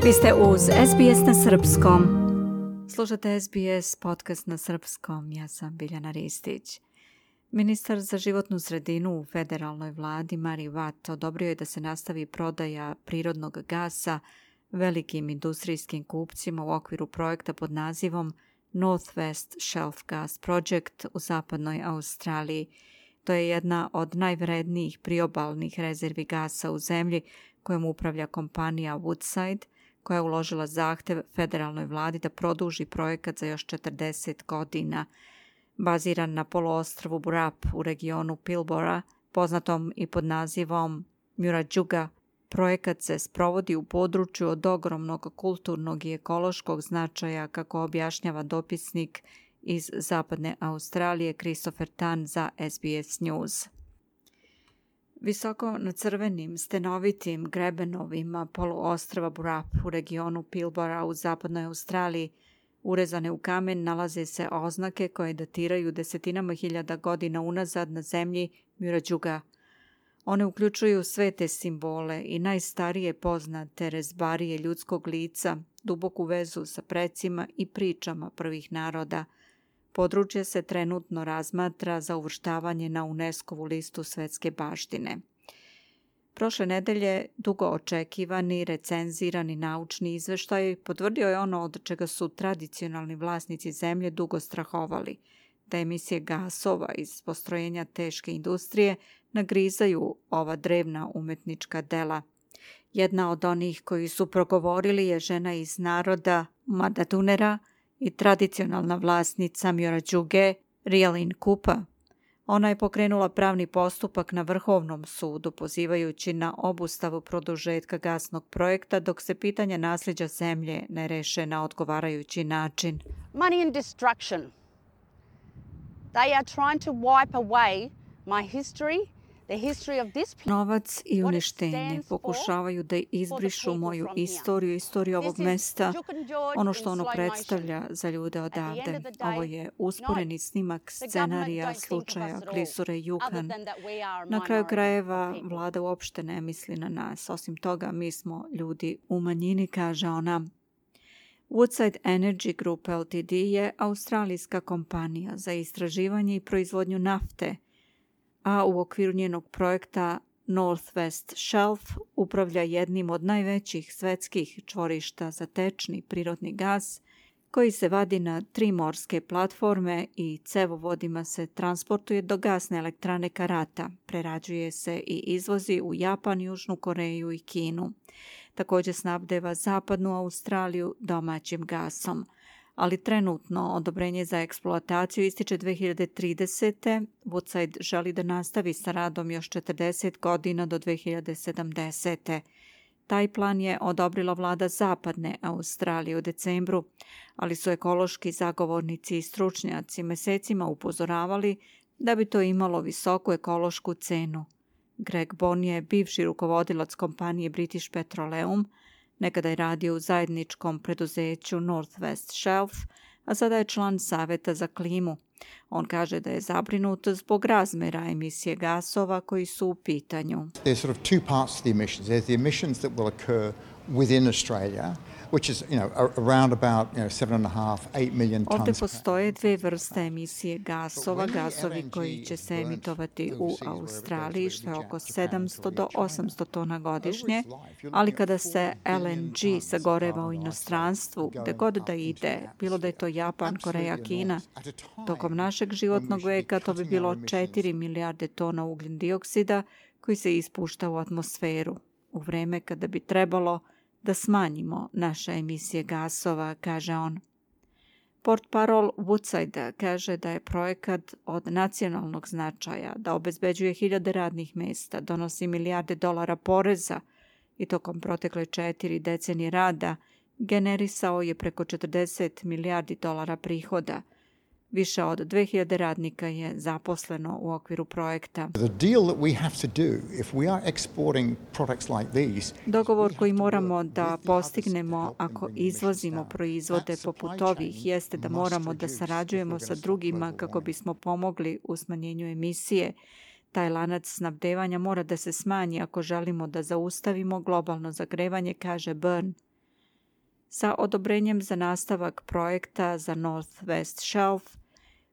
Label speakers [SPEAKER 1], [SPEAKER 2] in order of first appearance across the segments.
[SPEAKER 1] Vi ste uz SBS na srpskom. Slušate SBS podcast na srpskom. Ja sam Biljana Ristić. Ministar za životnu sredinu u federalnoj vladi Mari Watt odobrio je da se nastavi prodaja prirodnog gasa velikim industrijskim kupcima u okviru projekta pod nazivom Northwest Shelf Gas Project u zapadnoj Australiji. To je jedna od najvrednijih priobalnih rezervi gasa u zemlji kojom upravlja kompanija Woodside, koja je uložila zahtev federalnoj vladi da produži projekat za još 40 godina. Baziran na poluostrvu Burrup u regionu Pilbara, poznatom i pod nazivom Murujuga, projekat se sprovodi u području od ogromnog kulturnog i ekološkog značaja, kako objašnjava dopisnik iz zapadne Australije Christopher Tan za SBS News. Visoko na crvenim, stenovitim grebenovima poluostrva Burrup u regionu Pilbara u zapadnoj Australiji, urezane u kamen, nalaze se oznake koje datiraju desetinama hiljada godina unazad na zemlji Murujuga. One uključuju svete simbole i najstarije poznate rezbarije ljudskog lica, duboku vezu sa precima i pričama prvih naroda. Područje se trenutno razmatra za uvrštavanje na UNESCO-vu listu svetske baštine. Prošle nedelje dugo očekivani, recenzirani naučni izveštaj potvrdio je ono od čega su tradicionalni vlasnici zemlje dugo strahovali, da emisije gasova iz postrojenja teške industrije nagrizaju ova drevna umetnička dela. Jedna od onih koji su progovorili je žena iz naroda Madadunera i tradicionalna vlasnica Murujuge, Rialyn Kupa. Ona je pokrenula pravni postupak na Vrhovnom sudu, pozivajući na obustavu produžetka gasnog projekta dok se pitanja nasljeđa zemlje ne reše na odgovarajući način.
[SPEAKER 2] Money and destruction. They are trying to wipe away my history.
[SPEAKER 1] Novac i uništenje pokušavaju da izbrišu moju istoriju, istoriju ovog mesta, ono što ono predstavlja za ljude odavde. Ovo je usporeni snimak scenarija slučaja klisure Yukon. Na kraju krajeva vlada uopšte ne misli na nas. Osim toga, mi smo ljudi u manjini, kaže ona. Woodside Energy Group Ltd je australijska kompanija za istraživanje i proizvodnju nafte, a u okviru njenog projekta Northwest Shelf upravlja jednim od najvećih svetskih čvorišta za tečni prirodni gas, koji se vadi na 3 morske platforme i cevovodima se transportuje do gasne elektrane Karata. Prerađuje se i izvozi u Japan, Južnu Koreju i Kinu. Također snabdeva zapadnu Australiju domaćim gasom. Ali trenutno odobrenje za eksploataciju ističe 2030. Woodside želi da nastavi sa radom još 40 godina do 2070. Taj plan je odobrila vlada zapadne Australije u decembru, ali su ekološki zagovornici i stručnjaci mesecima upozoravali da bi to imalo visoku ekološku cenu. Greg Bon je bivši rukovodilac kompanije British Petroleum, nekada je radio u zajedničkom preduzeću Northwest Shelf, a sada je član Saveta za klimu. On kaže da je zabrinut zbog razmera emisije gasova koji su u pitanju.
[SPEAKER 3] There's sort of two parts to the emissions. There's the emissions that will occur within Australia, which is, around about, 7.5-8 million tons.
[SPEAKER 1] Ovdje postoje dve vrste emisije gasova, gasovi koji će se emitovati u Australiji, što je oko 700 do 800 tona godišnje, ali kada se LNG sagoreva u inostranstvu, gde god da ide, bilo da je to Japan, Koreja, Kina, tokom našeg životnog veka to bi bilo 4 milijarde tona ugljen dioksida koji se ispušta u atmosferu, u vreme kada bi trebalo da smanjimo naše emisije gasova, kaže on. Portparol Woodside kaže da je projekat od nacionalnog značaja, da obezbeđuje hiljade radnih mesta, donosi milijarde dolara poreza i tokom protekle 4 decenije rada generisao je preko 40 milijardi dolara prihoda. Više od 2000 radnika je zaposleno u okviru projekta. Dogovor koji moramo da postignemo ako izvozimo proizvode poput ovih jeste da moramo da sarađujemo sa drugima kako bismo pomogli u smanjenju emisije. Taj lanac snabdevanja mora da se smanji ako želimo da zaustavimo globalno zagrevanje, kaže Byrne. sa odobrenjem za nastavak projekta za North West Shelf,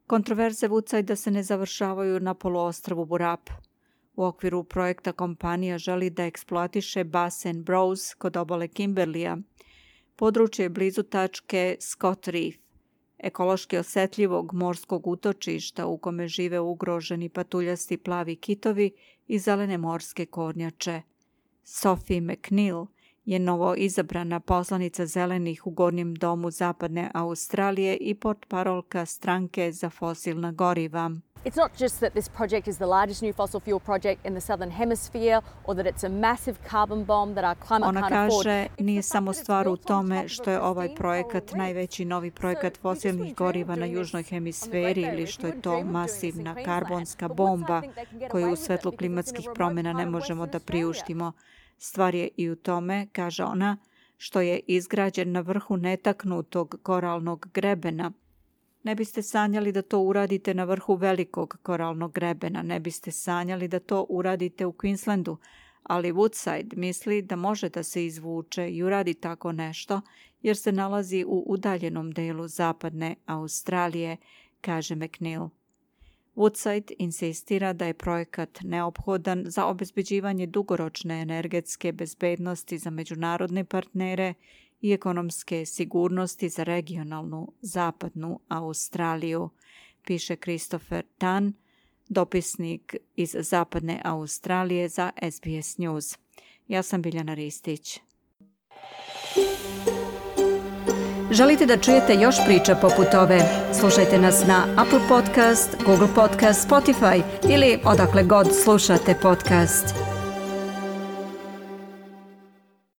[SPEAKER 1] kontroverze Woodsidea se ne završavaju na poluostrvu Burap. U okviru projekta kompanija želi da eksploatiše basen Browse kod obale Kimberleya. Područje je blizu tačke Scott Reef, ekološki osjetljivog morskog utočišta u kome žive ugroženi patuljasti plavi kitovi i zelene morske kornjače. Sophie McNeil je novo izabrana poslanica zelenih u Gornjem domu Zapadne Australije i portparolka stranke za fosilna goriva.
[SPEAKER 4] It's not just that this project is the largest new fossil fuel project in the southern hemisphere or that it's a massive carbon bomb that our climate
[SPEAKER 1] Ona
[SPEAKER 4] can't afford.
[SPEAKER 1] kaže, nije samo stvar u tome što je ovaj projekat najveći novi projekat fosilnih goriva na južnoj hemisferi ili što je to masivna karbonska bomba koju u svetlu klimatskih promjena ne možemo da priuštimo. Stvar je i u tome, kaže ona, što je izgrađen na vrhu netaknutog koralnog grebena. Ne biste sanjali da to uradite na vrhu velikog koralnog grebena, ne biste sanjali da to uradite u Queenslandu, ali Woodside misli da može da se izvuče i uradi tako nešto jer se nalazi u udaljenom delu Zapadne Australije, kaže McNeil. Woodside insistira da je projekat neophodan za obezbeđivanje dugoročne energetske bezbednosti za međunarodne partnere i ekonomske sigurnosti za regionalnu Zapadnu Australiju, piše Christopher Tan, dopisnik iz Zapadne Australije za SBS News. Ja sam Biljana Ristić. Želite da čujete još priča poput ove? Slušajte nas na Apple Podcast, Google Podcast, Spotify ili odakle god slušate podcast.